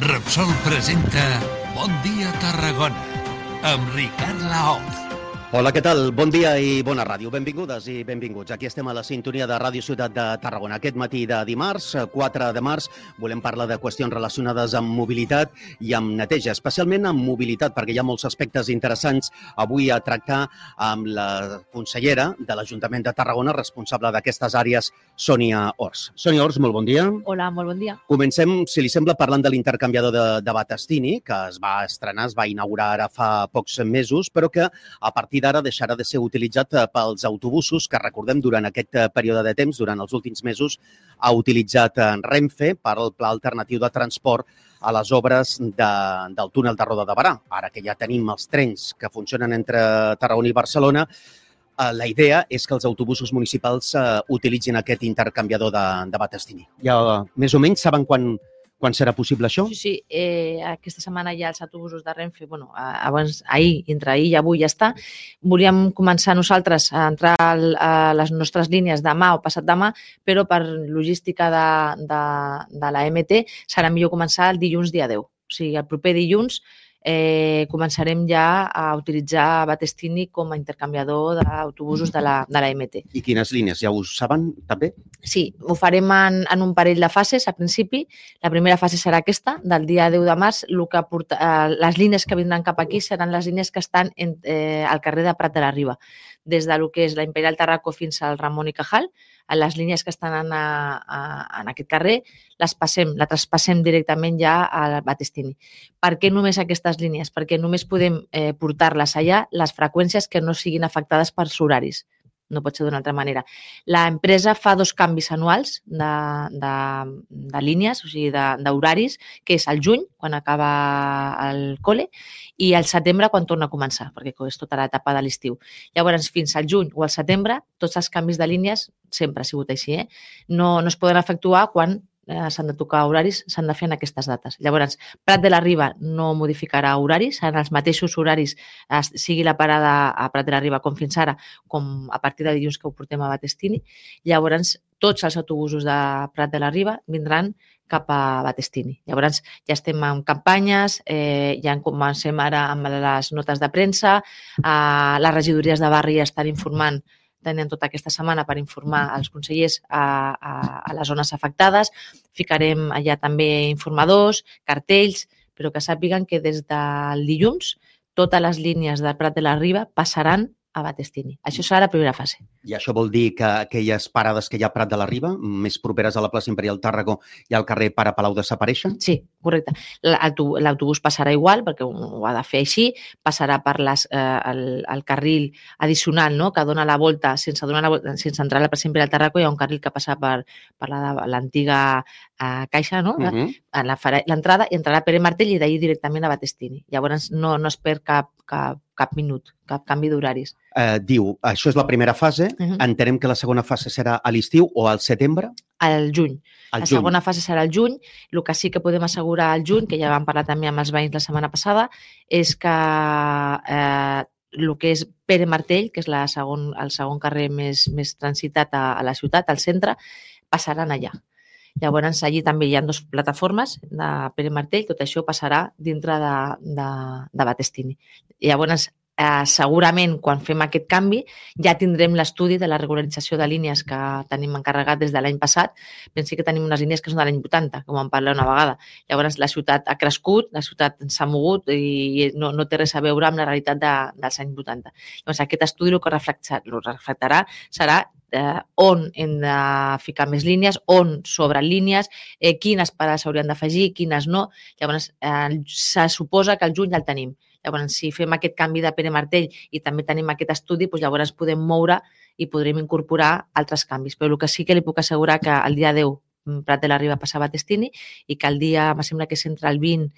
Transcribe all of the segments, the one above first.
Repsol presenta Bon dia Tarragona amb Ricard Laoz. Hola, què tal? Bon dia i bona ràdio. Benvingudes i benvinguts. Aquí estem a la sintonia de Ràdio Ciutat de Tarragona. Aquest matí de dimarts, 4 de març, volem parlar de qüestions relacionades amb mobilitat i amb neteja, especialment amb mobilitat, perquè hi ha molts aspectes interessants avui a tractar amb la consellera de l'Ajuntament de Tarragona, responsable d'aquestes àrees, Sònia Ors. Sònia Ors, molt bon dia. Hola, molt bon dia. Comencem, si li sembla, parlant de l'intercanviador de Battestini, que es va estrenar, es va inaugurar ara fa pocs mesos, però que a partir d'ara deixarà de ser utilitzat pels autobusos que, recordem, durant aquest període de temps, durant els últims mesos, ha utilitzat Renfe per al pla alternatiu de transport a les obres del túnel de Roda de Barà. Ara que ja tenim els trens que funcionen entre Tarragona i Barcelona, la idea és que els autobusos municipals utilitzin aquest intercanviador de Battestini. Ja més o menys saben quan serà possible això? Sí, aquesta setmana ja els autobusos de Renfe, abans, entre ahir i avui ja està. Volíem començar nosaltres a entrar a les nostres línies demà o passat demà, però per logística de la MT serà millor començar el dilluns dia 10. O sigui, el proper dilluns començarem ja a utilitzar Battestini com a intercanviador d'autobusos de la MT. I quines línies? Ja ho saben, també? Sí, ho farem en un parell de fases, a principi. La primera fase serà aquesta, del dia 10 de març. Les línies que vindran cap aquí seran les línies que estan al carrer de Prat de la Riba, des del que és la Imperial Tarraco fins al Ramon i Cajal. Les línies que estan en aquest carrer la traspassem directament ja a Battestini. Per què només aquestes línies? Perquè només podem portar-les allà les freqüències que no siguin afectades pels horaris. No pot ser d'una altra manera. L'empresa fa 2 canvis anuals de línies, o sigui, d'horaris, que és al juny, quan acaba el col·le, i al setembre, quan torna a començar, perquè és tota l'etapa de l'estiu. Llavors, fins al juny o al setembre, tots els canvis de línies, sempre ha sigut així, no es poden efectuar quan s'han de tocar horaris, s'han de fer en aquestes dates. Llavors, Prat de la Riba no modificarà horaris, seran els mateixos horaris, sigui la parada a Prat de la Riba com fins ara, com a partir de dilluns que ho portem a Battestini. Llavors, tots els autobusos de Prat de la Riba vindran cap a Battestini. Llavors, ja estem en campanyes, ja comencem ara amb les notes de premsa, les regidories de barri ja estan informant, tenen tota aquesta setmana per informar els consellers a les zones afectades. Ficarem allà també informadors, cartells, però que sàpiguen que des del dilluns totes les línies de Prat de la Riba passaran a Battestini. Això serà la primera fase. I això vol dir que aquelles parades que hi ha a Prat de la Riba, més properes a la plaça Imperial Tàrraco i al carrer Pare Palau, desapareixen? Sí, correcte. L'autobús passarà igual, perquè ho ha de fer així, passarà per el carril addicional, no?, que dona la volta, sense entrar a la plaça Imperial Tàrraco, hi ha un carril que passa per l'antiga caixa, no? L'entrada, i entrarà a Pere Martell i d'ahir directament a Battestini. Llavors no es perd cap minut, cap canvi d'horaris. Diu, això és la primera fase. Entenem que la segona fase serà a l'estiu o al setembre? Al juny. La segona fase serà al juny. El que sí que podem assegurar al juny, que ja vam parlar també amb els veïns la setmana passada, és que el que és Pere Martell, que és el segon carrer més transitat a la ciutat, al centre, passaran allà. Llavors, allí també hi ha 2 plataformes de Pere Martell, tot això passarà dintre de Battestini. Llavors, segurament, quan fem aquest canvi, ja tindrem l'estudi de la regularització de línies que tenim encarregat des de l'any passat. Pensi que tenim unes línies que són de l'any 80, com en parlem una vegada. Llavors, la ciutat ha crescut, la ciutat s'ha mogut i no té res a veure amb la realitat dels anys 80. Llavors, aquest estudi el que reflectarà serà on hem de ficar més línies, on sobren línies, quines parades s'haurien d'afegir, quines no. Llavors, se suposa que al juny ja el tenim. Llavors, si fem aquest canvi de Pere Martell i també tenim aquest estudi, llavors podem moure i podrem incorporar altres canvis. Però el que sí que li puc assegurar que el dia 10 Prat de la Riba passa a Battestini i que el dia, em sembla que és entre el 20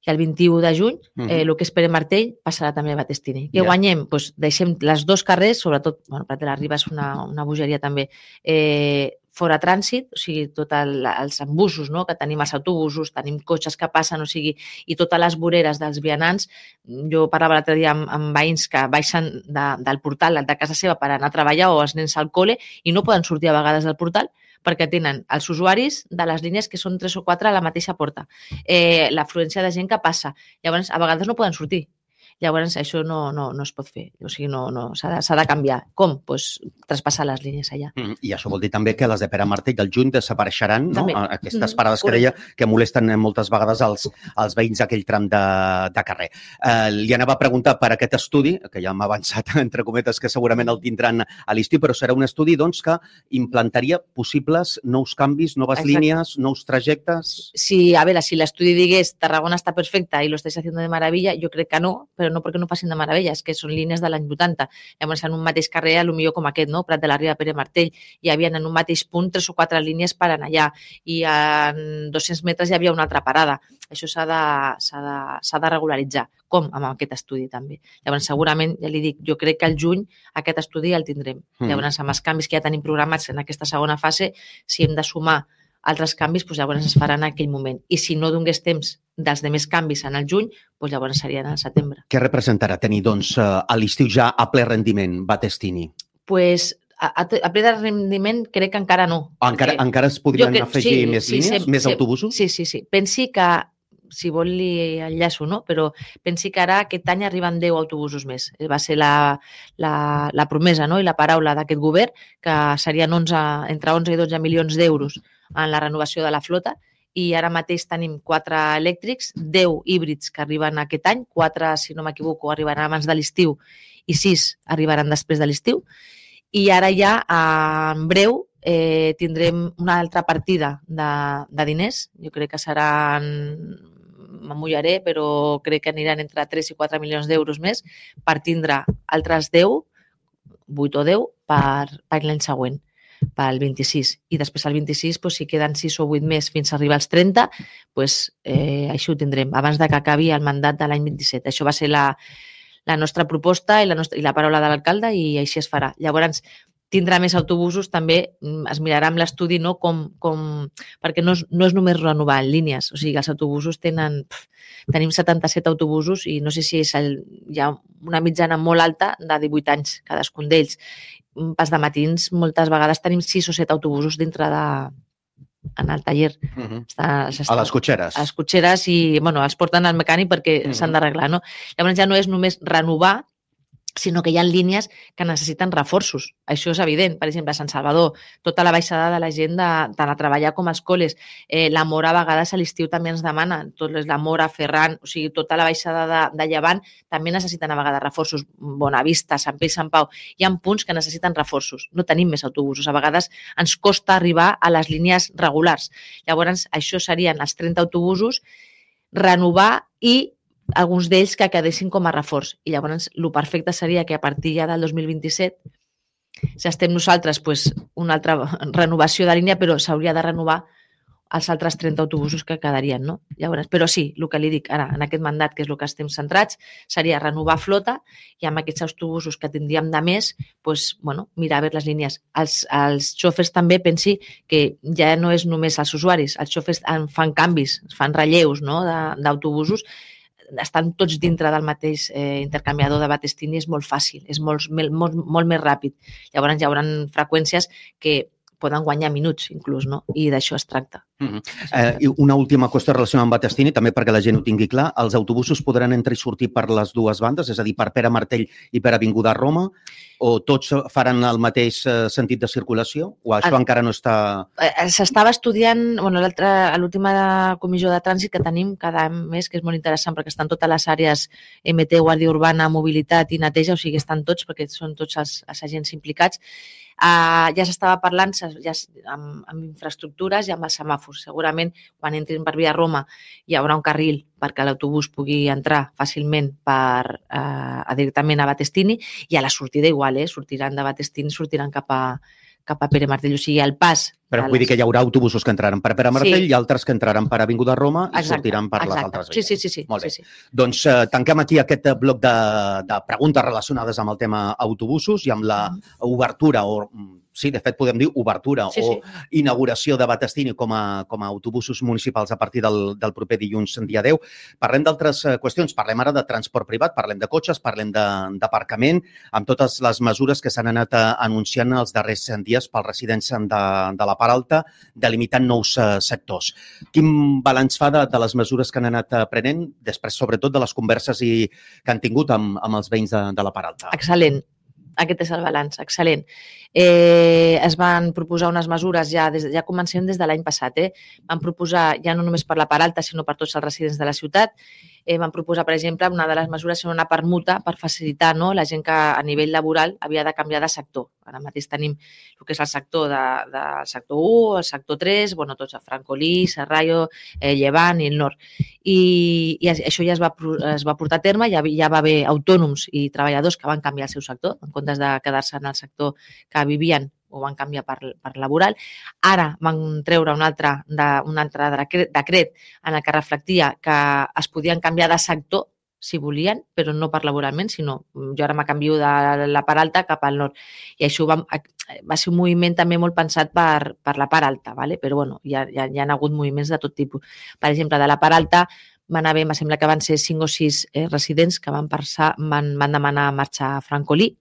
i el 21 de juny, el que és Pere Martell passarà també a Battestini. Què guanyem? Deixem les 2 carrers, sobretot, Prat de la Riba és una bogeria també, fora trànsit, o sigui, tots els embussos, no? Que tenim els autobusos, tenim cotxes que passen, o sigui, i totes les voreres dels vianants. Jo parlava l'altre dia amb veïns que baixen del portal de casa seva per anar a treballar o els nens al col·le i no poden sortir a vegades del portal perquè tenen els usuaris de les línies que són 3 o 4 a la mateixa porta. L'afluència de gent que passa. Llavors, a vegades no poden sortir. Llavors, això no es pot fer. O sigui, s'ha de canviar. Com? Doncs traspassar les línies allà. I això vol dir també que les de Pere Martell del juny desapareixeran, no? Aquestes parades que deia que molesten moltes vegades els veïns d'aquell tram de carrer. Li anava a preguntar per aquest estudi, que ja m'ha avançat, entre cometes, que segurament el tindran a l'estiu, però serà un estudi doncs, que implantaria possibles nous canvis, noves línies, nous trajectes? Sí, a veure, si l'estudi digués Tarragona està perfecta i lo estáis haciendo de maravilla, jo crec que no, però no perquè no facin de meravella, és que són línies de l'any 80. Llavors, en un mateix carrer, potser com aquest, no? Prat de la Riba, Pere Martell, hi havia en un mateix punt 3 o 4 línies per anar allà i en 200 metres hi havia una altra parada. Això s'ha de regularitzar. Com? Amb aquest estudi també. Llavors, segurament, ja li dic, jo crec que al juny aquest estudi el tindrem. Llavors, amb els canvis que ja tenim programats en aquesta segona fase, si hem de sumar altres canvis, doncs llavors es faran en aquell moment. I si no donés temps dels demés canvis en el juny, doncs llavors serien al setembre. Què representarà tenir, doncs, a l'estiu ja a ple rendiment Battestini? Doncs a ple de rendiment crec que encara no. Encara es podrien afegir més línies, més autobusos? Sí. Pensi que, si vol li enllaço, no? Però pensi que ara aquest any arriben 10 autobusos més. Va ser la promesa, no? I la paraula d'aquest govern, que serien entre 11 i 12 milions d'euros en la renovació de la flota, i ara mateix tenim 4 elèctrics, 10 híbrids que arriben aquest any, 4, si no m'equivoco, arribaran abans de l'estiu i 6 arribaran després de l'estiu. I ara ja, en breu, tindrem una altra partida de diners. Jo crec que seran, m'amullaré, però crec que aniran entre 3 i 4 milions d'euros més per tindre altres 10, 8 o 10, per l'any següent, pel 26. I després al 26, si queden 6 o 8 més fins a arribar als 30, això ho tindrem, abans que acabi el mandat de l'any 27. Això va ser la nostra proposta i la paraula de l'alcalde i així es farà. Llavors, tindrà més autobusos, també es mirarà amb l'estudi, no? Perquè no és només renovar línies, o sigui, els autobusos tenim 77 autobusos i no sé si hi ha una mitjana molt alta de 18 anys, cadascun d'ells. Pas de matins, moltes vegades tenim 6 o 7 autobusos dintre en el taller. A les cotxeres. A les cotxeres i els porten al mecànic perquè s'han d'arreglar, no? Llavors ja no és només renovar, sinó que hi ha línies que necessiten reforços. Això és evident. Per exemple, a Sant Salvador, tota la baixada de la gent tant a treballar com als col·les. La Mora, a vegades, a l'estiu també ens demana. La Mora, Ferran, o sigui, tota la baixada de Llevant també necessiten a vegades reforços. Bonavista, Sant Pere i Sant Pau. Hi ha punts que necessiten reforços. No tenim més autobusos. A vegades ens costa arribar a les línies regulars. Llavors, això serien els 30 autobusos, renovar i alguns d'ells que quedessin com a reforç. I llavors el perfecte seria que a partir ja del 2027, si estem nosaltres, una altra renovació de línia, però s'hauria de renovar els altres 30 autobusos que quedarien, no? Llavors, però sí, el que li dic ara, en aquest mandat, que és el que estem centrats, seria renovar flota i amb aquests autobusos que tindríem de més, mirar a veure les línies. Els xòfers també pensi que ja no és només els usuaris, els xòfers fan canvis, fan relleus, no?, d'autobusos, estan tots dintre del mateix intercanviador de Battestini, és molt fàcil, és molt més ràpid. Llavors hi haurà freqüències que poden guanyar minuts, inclús, no? I d'això es tracta. I una última qüestió relacionada amb Battestini, també perquè la gent ho tingui clar. Els autobusos podran entrar i sortir per les dues bandes, és a dir, per Pere Martell i per Avinguda Roma, o tots faran el mateix sentit de circulació? O això encara no està... S'estava estudiant, a l'última comissió de trànsit que tenim cada mes, que és molt interessant perquè estan totes les àrees MT, Guàrdia Urbana, Mobilitat i Neteja, o sigui, estan tots perquè són tots els agents implicats. Ja s'estava parlant amb infraestructures i amb els semàfors. Segurament, quan entrin per via Roma, hi haurà un carril perquè l'autobús pugui entrar fàcilment directament a Battestini i a la sortida igual, sortiran de Battestini, sortiran cap a Pere Martell. O sigui, el pas... Però vull dir que hi haurà autobusos que entraran per Pere Martell i altres que entraran per Avinguda Roma i sortiran per les altres vies. Sí. Molt bé. Doncs tanquem aquí aquest bloc de preguntes relacionades amb el tema autobusos i amb l'obertura o sí, de fet, podem dir obertura Sí, o inauguració de Battestini com a autobusos municipals a partir del proper dilluns, dia 10. Parlem d'altres qüestions. Parlem ara de transport privat, parlem de cotxes, parlem d'aparcament, amb totes les mesures que s'han anat anunciant els darrers dies pels residents de la Part Alta, delimitant nous sectors. Quin balanç fa de les mesures que han anat prenent, després, sobretot, de les converses que han tingut amb els veïns de la Part Alta? Excel·lent. Aquest és el balanç, excel·lent. Es van proposar unes mesures, ja comencem des de l'any passat, van proposar, ja no només per la Part Alta, sinó per tots els residents de la ciutat, van proposar, per exemple, una de les mesures era una permuta per facilitar la gent que a nivell laboral havia de canviar de sector. Ara mateix tenim el que és el sector del sector 1, el sector 3, tots, Francolí, Serrallo, Llevant i el Nord. I això ja es va portar a terme, ja va haver autònoms i treballadors que van canviar el seu sector, en comptes de quedar-se en el sector que vivien o van canviar per laboral. Ara van treure un altre decret en el que reflectia que es podien canviar de sector si volien, però no per laboralment, sinó jo ara me canvio de la Part Alta cap al Nord. I això va ser un moviment també molt pensat per la Part Alta, però hi ha hagut moviments de tot tipus. Per exemple, de la Part Alta van haver, em sembla que van ser 5 o 6 residents que van demanar marxar a Francolí,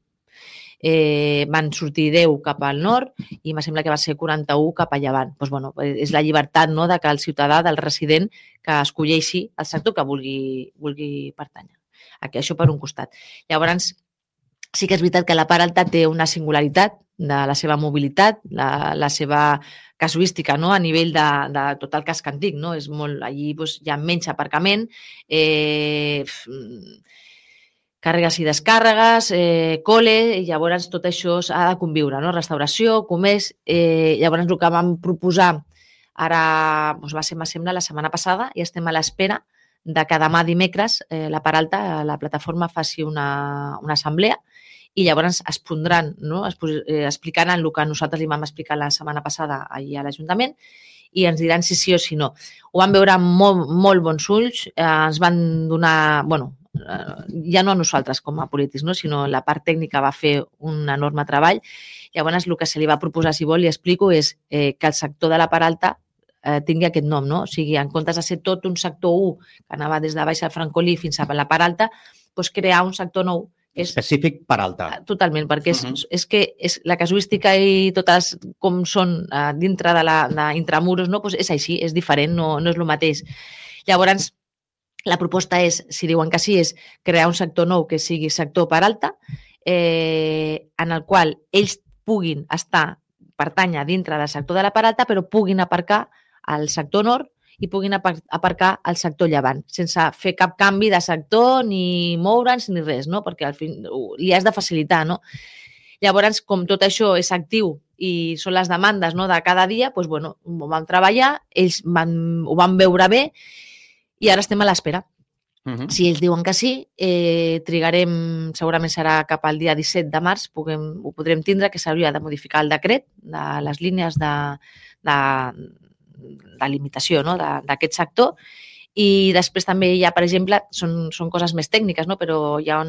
van sortir 10 cap al nord i em sembla que va ser 41 cap a Llevant. És la llibertat de que el ciutadà, del resident, que escolleixi el sector que vulgui pertànyer. Això per un costat. Llavors, sí que és veritat que la Part Alta té una singularitat de la seva mobilitat, la seva casuística a nivell de tot el casc antic. Allí hi ha menys aparcament, càrregues i descàrregues, col·le, i llavors tot això ha de conviure, restauració, comerç. Llavors el que vam proposar ara va ser, em sembla, la setmana passada i estem a l'espera de que demà dimecres la Part Alta, la plataforma, faci una assemblea i llavors es pondran, explicaran el que nosaltres li vam explicar la setmana passada allà a l'Ajuntament i ens diran si sí o si no. Ho van veure amb molt bons ulls, ens van donar, ja no a nosaltres com a polítics, sinó la part tècnica va fer un enorme treball. Llavors, el que se li va proposar, si vol, li explico, és que el sector de la Part Alta tingui aquest nom, O sigui, en comptes de ser tot un sector 1 que anava des de baix al Francolí fins a la Part Alta, crear un sector nou específic Part Alta. Totalment, perquè és que la casuística i totes com són dintre d'intramuros, és així, és diferent, no és el mateix. Llavors, la proposta és, si diuen que sí, és crear un sector nou que sigui sector Part Alta, en el qual ells puguin pertànyer dintre del sector de la Part Alta, però puguin aparcar al sector nord i puguin aparcar al sector Llevant, sense fer cap canvi de sector, ni moure'ns, ni res, perquè al fin li has de facilitar, Llavors, com tot això és actiu i són les demandes de cada dia, ho vam treballar, ells ho van veure bé i ara estem a l'espera. Si ells diuen que sí, trigarem, segurament serà cap al dia 17 de març, ho podrem tindre, que s'hauria de modificar el decret de les línies de limitació d'aquest sector. I després també hi ha, per exemple, són coses més tècniques, però hi ha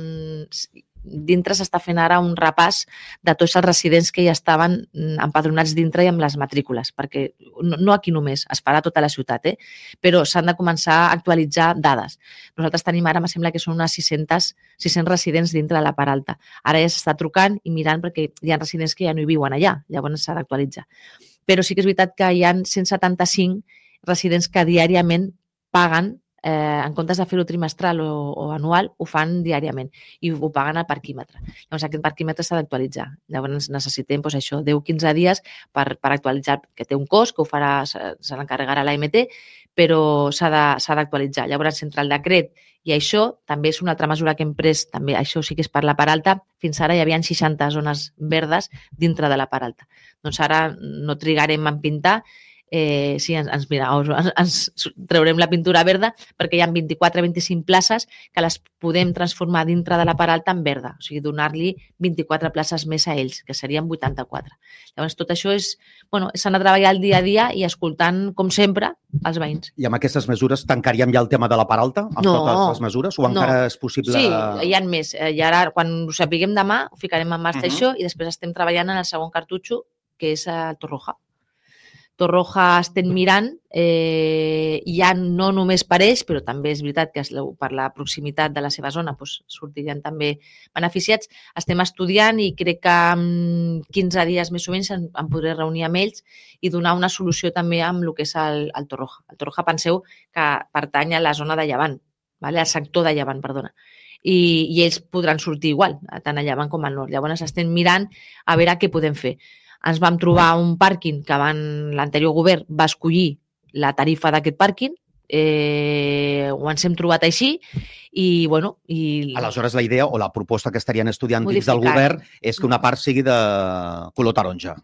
dintre s'està fent ara un repàs de tots els residents que ja estaven empadronats dintre i amb les matrícules, perquè no aquí només, es farà a tota la ciutat, però s'han de començar a actualitzar dades. Nosaltres tenim ara, em sembla que són unes 600 residents dintre de la Part Alta. Ara ja s'està trucant i mirant perquè hi ha residents que ja no hi viuen allà, llavors s'ha d'actualitzar. Però sí que és veritat que hi ha 175 residents que diàriament paguen, en comptes de fer-ho trimestral o anual, ho fan diàriament i ho paguen al parquímetre. Llavors, aquest parquímetre s'ha d'actualitzar. Llavors, necessitem 10-15 dies per actualitzar, que té un cost, que ho farà, se l'encarregarà l'AMT, però s'ha d'actualitzar. Llavors, entre el decret i això, també és una altra mesura que hem pres, també això sí que és per la Part Alta, fins ara hi havia 60 zones verdes dintre de la Part Alta. Doncs ara no trigarem en pintar, sí, ens treurem la pintura verda perquè hi ha 24-25 places que les podem transformar dintre de la Part Alta en verda, o sigui, donar-li 24 places més a ells, que serien 84. Llavors, tot això s'ha de treballar el dia a dia i escoltant, com sempre, els veïns. I amb aquestes mesures tancaríem ja el tema de la Part Alta? Amb totes les mesures? O encara és possible? Sí, hi ha més. I ara, quan ho sapiguem demà, ho ficarem en marxa això i després estem treballant en el segon cartutxo que és el Torroja. Torroja estem mirant, ja no només per ells, però també és veritat que per la proximitat de la seva zona sortirien també beneficiats. Estem estudiant i crec que en 15 dies més o menys em podré reunir amb ells i donar una solució també amb el que és el Torroja. El Torroja, penseu que pertany a la zona de Llevant, al sector de Llevant, perdona. I ells podran sortir igual, tant a Llevant com al nord. Llavors estem mirant a veure què podem fer. Ens vam trobar un pàrquing que l'anterior govern va escollir la tarifa d'aquest pàrquing, ho ens hem trobat així i, bueno... Aleshores, la idea o la proposta que estarien estudiant dins del govern és que una part sigui de color taronja.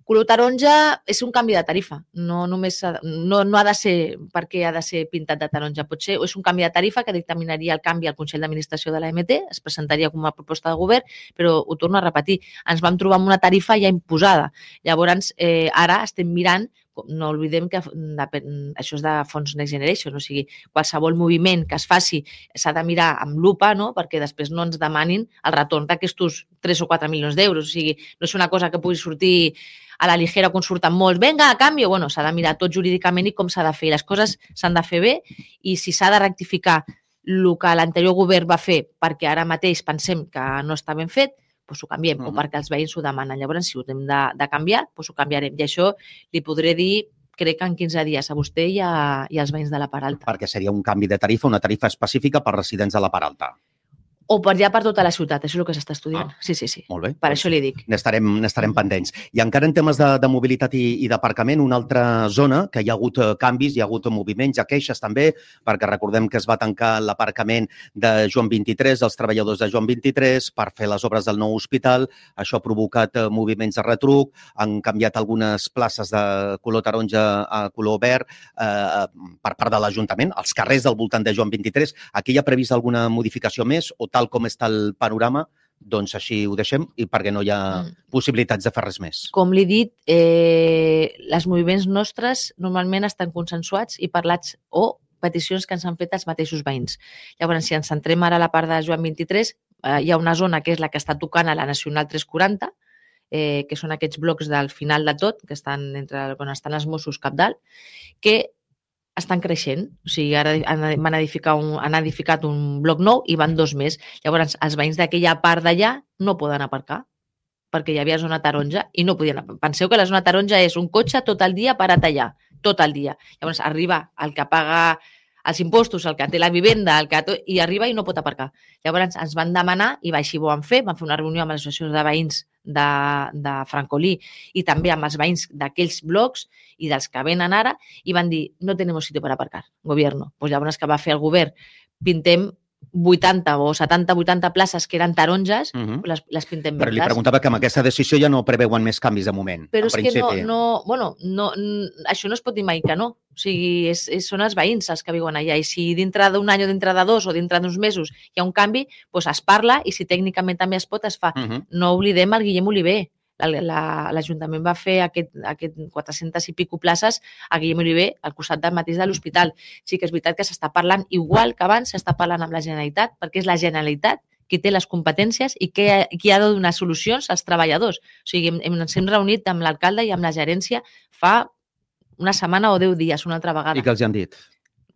Color taronja és un canvi de tarifa, no ha de ser perquè ha de ser pintat de taronja, potser és un canvi de tarifa que dictaminaria el canvi al Consell d'Administració de l'AMT, es presentaria com a proposta de govern, però ho torno a repetir, ens vam trobar amb una tarifa ja imposada. Llavors, ara estem mirant, no oblidem que això és de fons Next Generation, o sigui, qualsevol moviment que es faci s'ha de mirar amb lupa, no? Perquè després no ens demanin el retorn d'aquests 3 o 4 milions d'euros, o sigui, no és una cosa que pugui sortir a la ligera quan surten molts, venga, a canvi, bueno, s'ha de mirar tot jurídicament i com s'ha de fer. Les coses s'han de fer bé i si s'ha de rectificar el que l'anterior govern va fer perquè ara mateix pensem que no està ben fet, doncs ho canviem, o perquè els veïns ho demanen. Llavors, si ho hem de canviar, doncs ho canviarem. I això li podré dir, crec que en 15 dies a vostè i als veïns de la Part Alta. Perquè seria un canvi de tarifa, una tarifa específica per residents de la Part Alta. O per tota la ciutat, això és el que s'està estudiant. Sí. Molt bé. Per això li dic. N'estarem pendents. I encara en temes de mobilitat i d'aparcament, una altra zona que hi ha hagut canvis, hi ha hagut moviments, hi ha queixes també, perquè recordem que es va tancar l'aparcament de Joan 23, els treballadors de Joan 23, per fer les obres del nou hospital. Això ha provocat moviments de retruc, han canviat algunes places de color taronja a color verd per part de l'Ajuntament, els carrers del voltant de Joan 23. Aquí hi ha previst alguna modificació més o tal com està el panorama, doncs així ho deixem i perquè no hi ha possibilitats de fer res més. Com li he dit, els moviments nostres normalment estan consensuats i parlats o peticions que ens han fet els mateixos veïns. Llavors, si ens centrem ara a la part de Joan 23, hi ha una zona que és la que està tocant a la Nacional 340, que són aquests blocs del final de tot, que estan on estan els Mossos cap dalt, que estan creixent. O sigui, ara han edificat un bloc nou i van 2 més. Llavors, els veïns d'aquella part d'allà no poden aparcar perquè hi havia zona taronja i no podien aparcar. Penseu que la zona taronja és un cotxe tot el dia parat allà, tot el dia. Llavors, arriba el que paga els impostos, el que té la vivenda, i arriba i no pot aparcar. Llavors, ens van demanar, i així ho van fer una reunió amb l'associació de veïns de Francolí i també amb els veïns d'aquells blocs i dels que venen ara, i van dir, no tenemos sitio para aparcar, gobierno. Pues llavors que va fer el govern, pintem 80 o 70-80 places que eren taronges, les pintem verdes. Però li preguntava que amb aquesta decisió ja no preveuen més canvis de moment. Però és que això no es pot dir mai que no. O sigui, són els veïns els que viuen allà i si dintre d'un any o dintre de 2 o dintre d'uns mesos hi ha un canvi, doncs es parla i si tècnicament també es pot, es fa. No oblidem el Guillem Oliver. L'Ajuntament va fer aquest 400 i pico places a Guillem Oliver al costat del mateix de l'hospital. Sí que és veritat que s'està parlant, igual que abans s'està parlant amb la Generalitat, perquè és la Generalitat qui té les competències i qui ha de donar solucions als treballadors. O sigui, ens hem reunit amb l'alcalde i amb la gerència fa una setmana o 10 dies, una altra vegada. I què els han dit?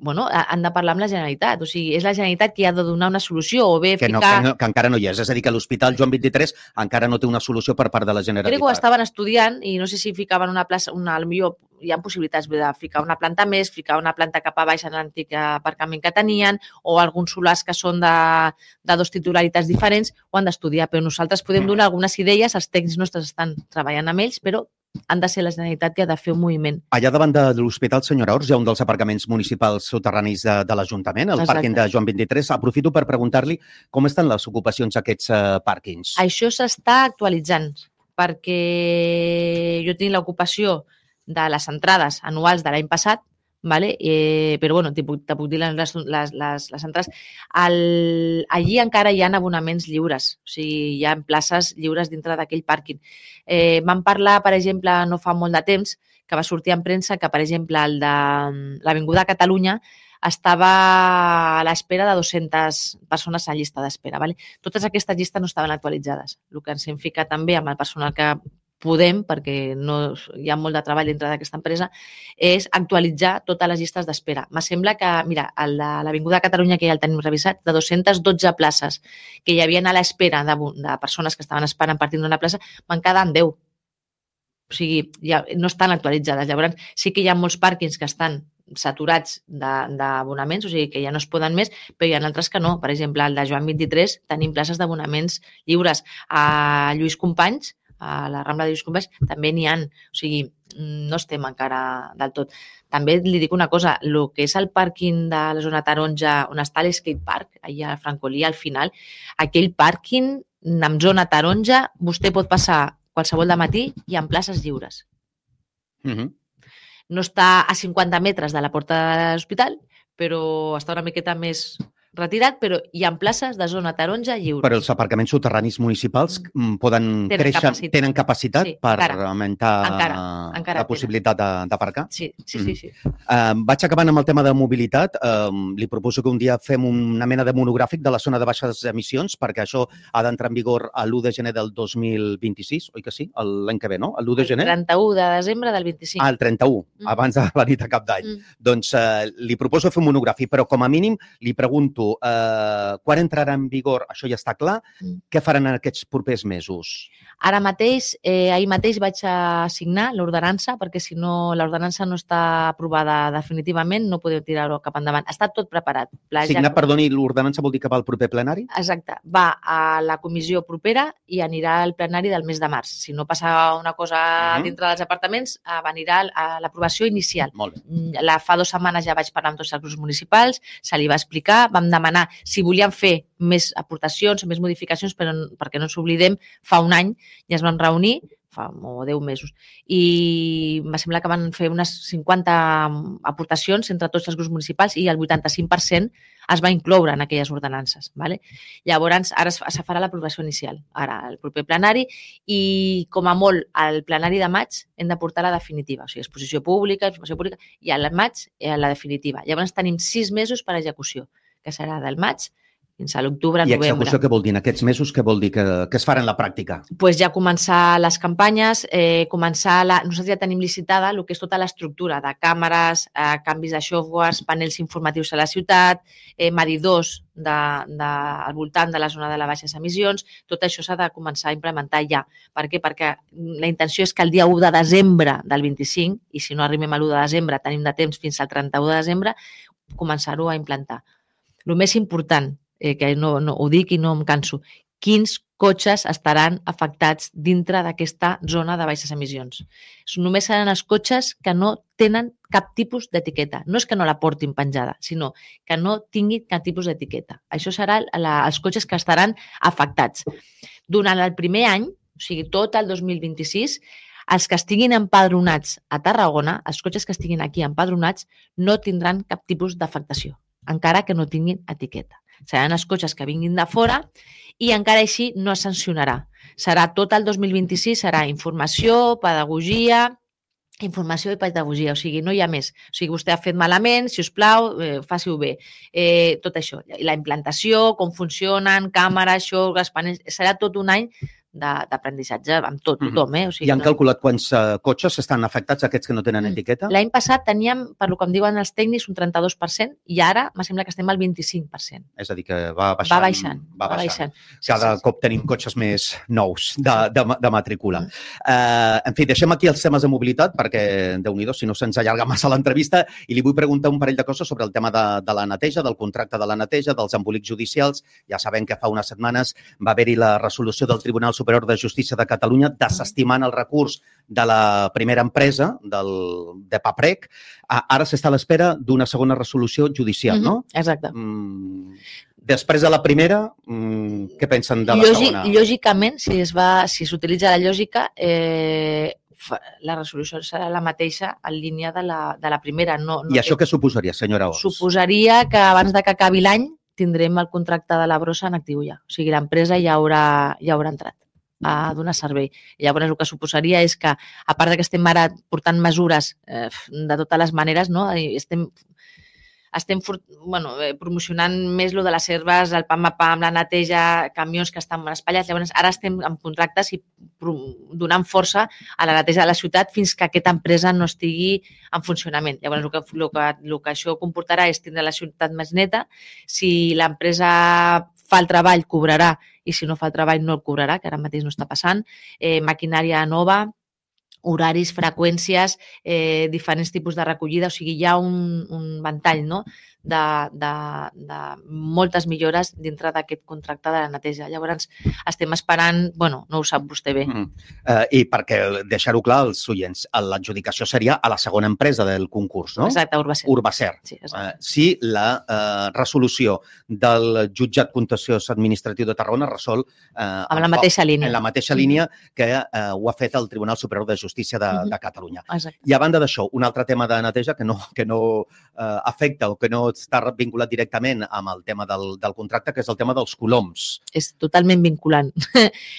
Bueno, han de parlar amb la Generalitat. O sigui, és la Generalitat qui ha de donar una solució o bé que encara no hi és. És a dir, que l'Hospital Joan 23 encara no té una solució per part de la Generalitat. Crec que ho estaven estudiant i no sé si ficaven una plaça, potser hi ha possibilitats de ficar una planta més, ficar una planta cap a baix en l'antic aparcament que tenien o alguns solars que són de 2 titularitats diferents, ho han d'estudiar. Però nosaltres podem donar algunes idees, els tècnics nostres estan treballant amb ells, però han de ser la Generalitat que ha de fer un moviment. Allà davant de l'Hospital Senyora Ors hi ha un dels aparcaments municipals soterranis de l'Ajuntament, el pàrquing de Joan 23. Aprofito per preguntar-li com estan les ocupacions d'aquests pàrquings. Això s'està actualitzant perquè jo tinc l'ocupació de les entrades anuals de l'any passat, vale? Però bueno, te puc dir les entrades. Allí encara hi ha abonaments lliures, o sigui, hi ha places lliures dintre d'aquell pàrquing. Vam parlar, per exemple, no fa molt de temps, que va sortir en premsa que, per exemple, el de l'Avinguda Catalunya estava a l'espera de 200 persones en llista d'espera. Vale? Totes aquestes llistes no estaven actualitzades. El que ens hem ficat també amb el personal que podem, perquè no, hi ha molt de treball dintre d'aquesta empresa, és actualitzar totes les llistes d'espera. Me sembla que, mira, a l'Avinguda de Catalunya, que ja el tenim revisat, de 212 places que hi havia a l'espera de persones que estaven esperant per tindre una plaça, van quedar en 10. O sigui, ja no estan actualitzades. Llavors, sí que hi ha molts pàrquings que estan saturats d'abonaments, o sigui que ja no es poden més, però hi ha altres que no. Per exemple, el de Joan 23 tenim places d'abonaments lliures. A Lluís Companys, a la Rambla de Lluís Companys, també n'hi ha. O sigui, no estem encara del tot. També li dic una cosa, el que és el pàrquing de la zona taronja, on està l'Skate Park, allà a Francolí, al final, aquell pàrquing amb zona taronja, vostè pot passar qualsevol de matí i amb places lliures. No està a 50 metres de la porta de l'hospital, però està una miqueta més retirat, però hi ha places de zona taronja lliures. Però els aparcaments soterranis municipals poden créixer, tenen capacitat per augmentar la possibilitat d'aparcar? Sí. Vaig acabant amb el tema de mobilitat. Li proposo que un dia fem una mena de monogràfic de la zona de baixes emissions, perquè això ha d'entrar en vigor l'1 de gener del 2026, oi que sí? L'any que ve, no? L'1 de gener? El 31 de desembre del 25. El 31, abans de la nit a cap d'any. Doncs li proposo fer un monogràfic, però com a mínim li pregunto quan entrarà en vigor, això ja està clar, què faran en aquests propers mesos? Ara mateix, ahir mateix vaig a signar l'ordenança, perquè si no l'ordenança no està aprovada definitivament, no podeu tirar-ho cap endavant. Està tot preparat. Signar, perdoni, l'ordenança vol dir que va al proper plenari? Exacte. Va a la comissió propera i anirà al plenari del mes de març. Si no passa una cosa dintre dels apartaments, anirà a l'aprovació inicial. Molt bé. Fa 2 setmanes ja vaig parlar amb tots els grups municipals, se li va explicar, vam demanar si volien fer més aportacions, més modificacions, però perquè no ens oblidem, fa un any ja es van reunir, fa 10 mesos, i em sembla que van fer unes 50 aportacions entre tots els grups municipals i el 85% es va incloure en aquelles ordenances. Vale? Llavors, ara se farà l'aprovació inicial, ara el proper plenari, i com a molt al plenari de maig hem de portar la definitiva, o sigui, exposició pública, informació pública, i al maig la definitiva. Llavors tenim 6 mesos per a execució, que serà del maig fins a l'octubre, novembre. I execució què vol dir? En aquests mesos què vol dir que es farà en la pràctica? Pues ja començar les campanyes, nosaltres ja tenim licitada el que és tota l'estructura de càmeres, canvis de softwares, panels informatius a la ciutat, medidors al voltant de la zona de les baixes emissions. Tot això s'ha de començar a implementar ja. Per què? Perquè la intenció és que el dia 1 de desembre del 25, i si no arribem a l'1 de desembre tenim de temps fins al 31 de desembre, començar-ho a implantar. El més important, que no ho dic i no em canso, quins cotxes estaran afectats dintre d'aquesta zona de baixes emissions. Només seran els cotxes que no tenen cap tipus d'etiqueta. No és que no la portin penjada, sinó que no tinguin cap tipus d'etiqueta. Això seran els cotxes que estaran afectats. Durant el primer any, o sigui, tot el 2026, els que estiguin empadronats a Tarragona, els cotxes que estiguin aquí empadronats, no tindran cap tipus d'afectació, encara que no tinguin etiqueta. Seran els cotxes que vinguin de fora i encara així no es sancionarà. Serà tot el 2026, serà informació, pedagogia, o sigui, no hi ha més. O sigui, vostè ha fet malament, si us plau, faci-ho bé. Tot això, la implantació, com funcionen, càmeres, xorgues, panells, serà tot un any d'aprenentatge amb tothom. O sigui, I han calculat quants cotxes estan afectats, aquests que no tenen etiqueta? L'any passat teníem, per lo que em diuen els tècnics, un 32% i ara me sembla que estem al 25%. És a dir, que va baixant. Va baixant. Cada cop tenim cotxes més nous de matrícula. En fi, deixem aquí els temes de mobilitat perquè, Déu-n'hi-do, si no se'ns allarga massa l'entrevista, i li vull preguntar un parell de coses sobre el tema de la neteja, del contracte de la neteja, dels embolics judicials. Ja sabem que fa unes setmanes va haver-hi la resolució del Tribunal Superior de Justícia de Catalunya desestimant el recurs de la primera empresa, de Paprec. Ara s'està a l'espera d'una segona resolució judicial, no? Exacte. Després de la primera, què pensen de la segona? Lògicament, si s'utilitza la lògica, la resolució serà la mateixa en línia de la primera. I això què suposaria, senyora Ols? Suposaria que abans de que acabi l'any tindrem el contracte de la brossa en actiu ja. O sigui, l'empresa ja haurà entrat a donar servei. Llavors, el que suposaria és que, a part que estem ara portant mesures de totes les maneres, no? Estem estem promocionant més lo de les herbes, el pam a pam, la neteja, camions que estan espatllats. Llavors, ara estem en contractes i donant força a la neteja de la ciutat fins que aquesta empresa no estigui en funcionament. Llavors, el que això comportarà és tindre la ciutat més neta. Si l'empresa fa el treball, cobrarà, i si no fa el treball, no el cobrarà, que ara mateix no està passant. Maquinària nova, horaris, freqüències, diferents tipus de recollida, o sigui, hi ha un ventall, no?, de moltes millores dintre d'aquest contracte de la neteja. Llavors, estem esperant, no ho sap vostè bé. I perquè deixar-ho clar als oients, l'adjudicació seria a la segona empresa del concurs, no? Exacte, Urbacer. Urbacer. Sí, si la resolució del jutjat contenciós administratiu de Tarragona resol amb la mateixa línia. En la mateixa línia que ho ha fet el Tribunal Superior de Justícia de Catalunya. Exacte. I a banda d'això, un altre tema de neteja que no afecta o que no està vinculat directament amb el tema del contracte, que és el tema dels coloms. És totalment vinculant.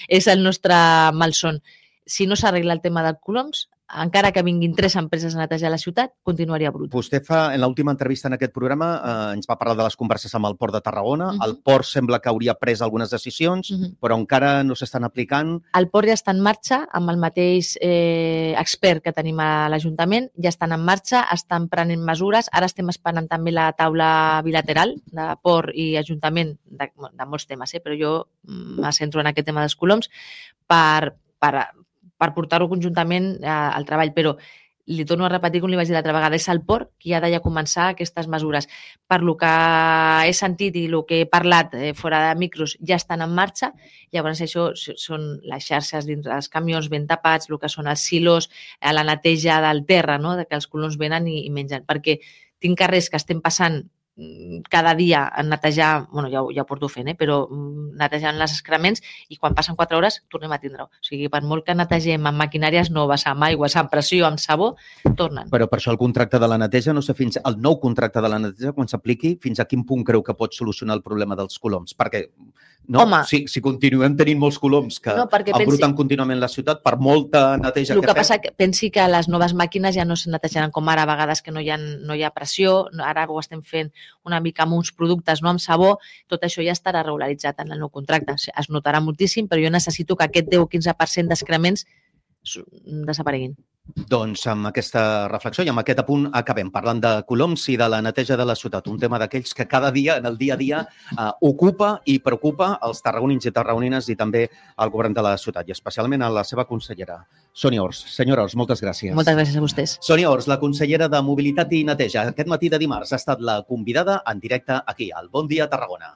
És el nostre malson. Si no s'arregla el tema dels coloms, encara que vinguin 3 empreses a netejar la ciutat, continuaria brut. Vostè en l'última entrevista en aquest programa ens va parlar de les converses amb el Port de Tarragona. El Port sembla que hauria pres algunes decisions, però encara no s'estan aplicant. El Port ja està en marxa amb el mateix expert que tenim a l'Ajuntament, ja estan en marxa, estan prenent mesures. Ara estem esperant també la taula bilateral de Port i Ajuntament de molts temes, però jo me centro en aquest tema dels coloms per portar-ho conjuntament al treball, però li torno a repetir, com li vaig dir l'altra vegada, és el Port qui ha de ja començar aquestes mesures. Per lo que he sentit i el que he parlat fora de micros ja estan en marxa, llavors això són les xarxes dintre dels camions ben tapats, el que són els silos, la neteja del terra, no?, que els coloms venen i mengen, perquè tinc carrers que estem passant cada dia a netejar, ja ho porto fent, però netejant els excrements, i quan passen 4 hores tornem a tindre-ho. O sigui, per molt que netegem amb maquinàries noves, amb aigües, amb pressió, amb sabó, tornen. Però per això el contracte de la neteja, no sé, el nou contracte de la neteja, quan s'apliqui, fins a quin punt creu que pot solucionar el problema dels coloms? Perquè si continuem tenint molts coloms que embruten contínuament la ciutat, per molta neteja que fem... El que passa que pensi que les noves màquines ja no se netejaran com ara, a vegades que no hi ha pressió, ara ho estem fent una mica amb uns productes, no amb sabó, tot això ja estarà regularitzat en el nou contracte. Es notarà moltíssim, però jo necessito que aquest 10 o 15% d'excrements desapareguin. Doncs amb aquesta reflexió i amb aquest apunt acabem parlant de coloms i de la neteja de la ciutat, un tema d'aquells que cada dia, en el dia a dia, ocupa i preocupa els tarragonins i tarragonines i també el govern de la ciutat, i especialment a la seva consellera, Sònia Ors. Senyora Ors, moltes gràcies. Moltes gràcies a vostès. Sònia Ors, la consellera de Mobilitat i Neteja. Aquest matí de dimarts ha estat la convidada en directe aquí, al Bon Dia Tarragona.